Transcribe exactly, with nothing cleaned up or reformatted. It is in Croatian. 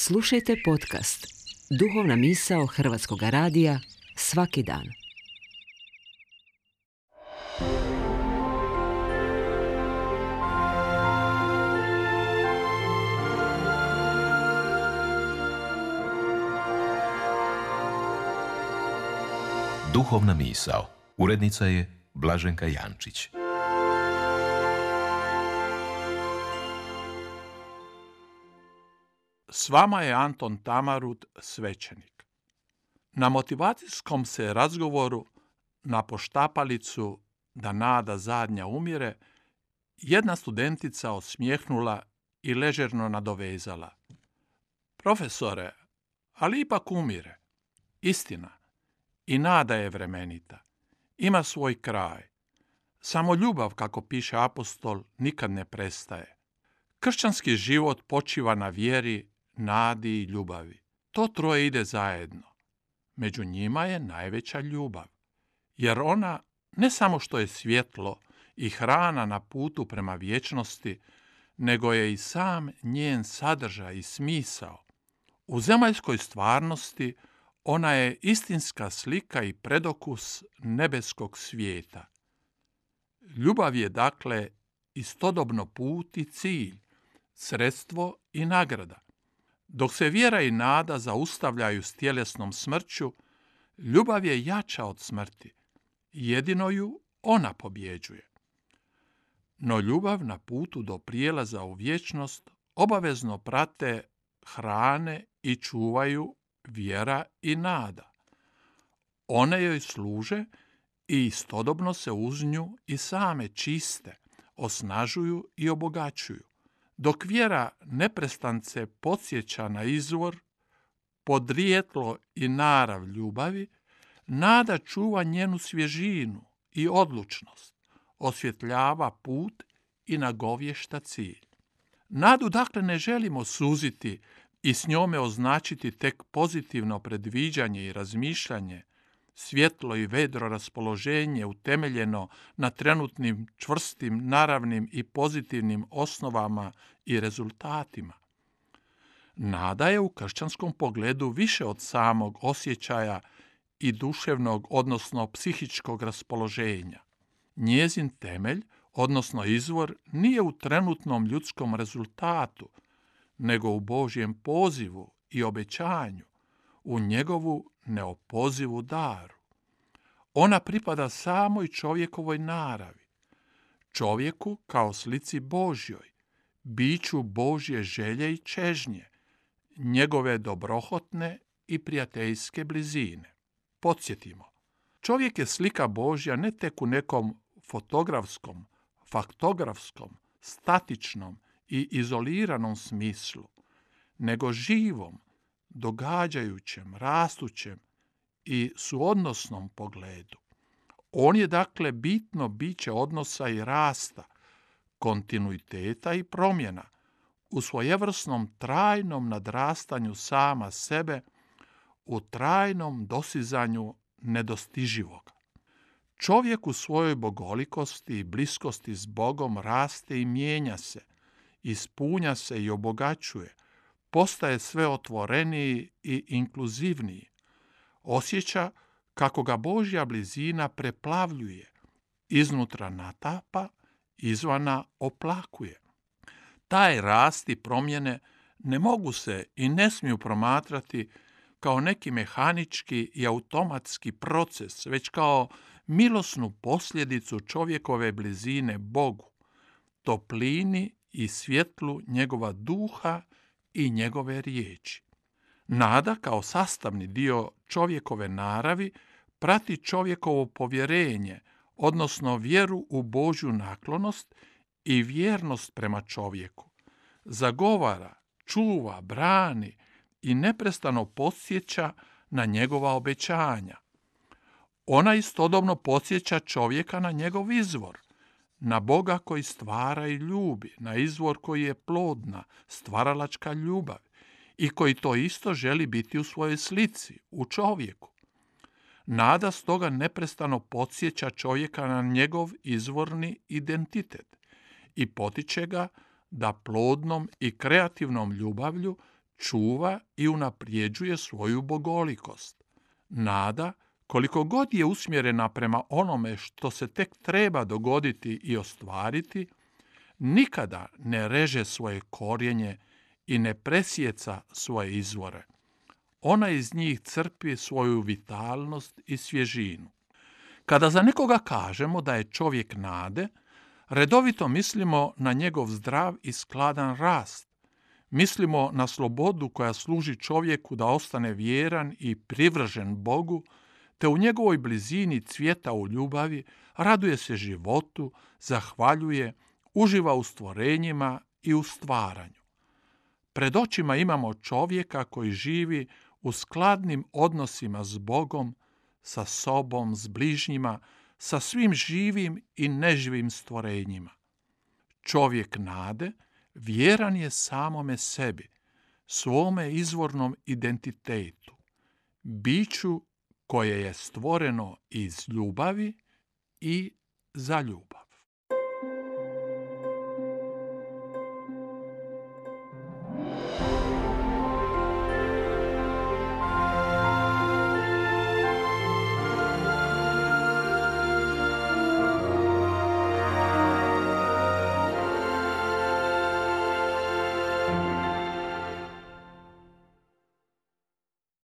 Slušajte podcast Duhovna misao Hrvatskog radija svaki dan. Duhovna misao. Urednica je Blaženka Jančić. S vama je Anton Tamarut, svećenik. Na motivacijskom se razgovoru na poštapalicu da nada zadnja umire, jedna studentica osmijehnula i ležerno nadovezala. Profesore, ali ipak umire. Istina, i nada je vremenita. Ima svoj kraj. Samo ljubav, kako piše apostol, nikad ne prestaje. Kršćanski život počiva na vjeri, nadi i ljubavi. To troje ide zajedno. Među njima je najveća ljubav, jer ona ne samo što je svjetlo i hrana na putu prema vječnosti, nego je i sam njen sadržaj i smisao. U zemaljskoj stvarnosti ona je istinska slika i predokus nebeskog svijeta. Ljubav je dakle istodobno put i cilj, sredstvo i nagrada. Dok se vjera i nada zaustavljaju s tjelesnom smrću, ljubav je jača od smrti. Jedino ju ona pobjeđuje. No ljubav na putu do prijelaza u vječnost obavezno prate, hrane i čuvaju vjera i nada. One joj služe i istodobno se uz nju i same čiste, osnažuju i obogaćuju. Dok vjera neprestance podsjeća na izvor, podrijetlo i narav ljubavi, nada čuva njenu svježinu i odlučnost, osvjetljava put i nagovješta cilj. Nadu dakle ne želimo suziti i s njome označiti tek pozitivno predviđanje i razmišljanje, svjetlo i vedro raspoloženje utemeljeno na trenutnim čvrstim, naravnim i pozitivnim osnovama i rezultatima. Nada je u kršćanskom pogledu više od samog osjećaja i duševnog, odnosno psihičkog raspoloženja. Njezin temelj, odnosno izvor, nije u trenutnom ljudskom rezultatu, nego u Božjem pozivu i obećanju, u njegovu neopozivu daru. Ona pripada samoj čovjekovoj naravi, čovjeku kao slici Božjoj, biću Božje želje i čežnje, njegove dobrohotne i prijateljske blizine. Podsjetimo, čovjek je slika Božja ne tek u nekom fotografskom, faktografskom, statičnom i izoliranom smislu, nego živom, događajućem, rastućem i suodnosnom pogledu. On je dakle bitno biće odnosa i rasta, kontinuiteta i promjena, u svojevrsnom trajnom nadrastanju sama sebe, u trajnom dosizanju nedostiživog. Čovjek u svojoj bogolikosti i bliskosti s Bogom raste i mijenja se, ispunja se i obogaćuje, postaje sve otvoreniji i inkluzivniji. Osjeća kako ga Božja blizina preplavljuje, iznutra natapa, izvana oplakuje. Taj rast i promjene ne mogu se i ne smiju promatrati kao neki mehanički i automatski proces, već kao milosnu posljedicu čovjekove blizine Bogu, toplini i svjetlu njegova duha i njegove riječi. Nada kao sastavni dio čovjekove naravi prati čovjekovo povjerenje, odnosno vjeru u Božju naklonost i vjernost prema čovjeku. Zagovara, čuva, brani i neprestano podsjeća na njegova obećanja. Ona istodobno podsjeća čovjeka na njegov izvor, na Boga koji stvara i ljubi, na izvor koji je plodna, stvaralačka ljubav i koji to isto želi biti u svojoj slici, u čovjeku. Nada stoga neprestano podsjeća čovjeka na njegov izvorni identitet i potiče ga da plodnom i kreativnom ljubavlju čuva i unaprijeđuje svoju bogolikost. Nada, koliko god je usmjerena prema onome što se tek treba dogoditi i ostvariti, nikada ne reže svoje korijenje i ne presjeca svoje izvore. Ona iz njih crpi svoju vitalnost i svježinu. Kada za nekoga kažemo da je čovjek nade, redovito mislimo na njegov zdrav i skladan rast. Mislimo na slobodu koja služi čovjeku da ostane vjeran i privržen Bogu, te u njegovoj blizini cvjeta u ljubavi, raduje se životu, zahvaljuje, uživa u stvorenjima i u stvaranju. Pred očima imamo čovjeka koji živi u skladnim odnosima s Bogom, sa sobom, s bližnjima, sa svim živim i neživim stvorenjima. Čovjek nade vjeran je samome sebi, svome izvornom identitetu, biću koje je stvoreno iz ljubavi i za ljubav.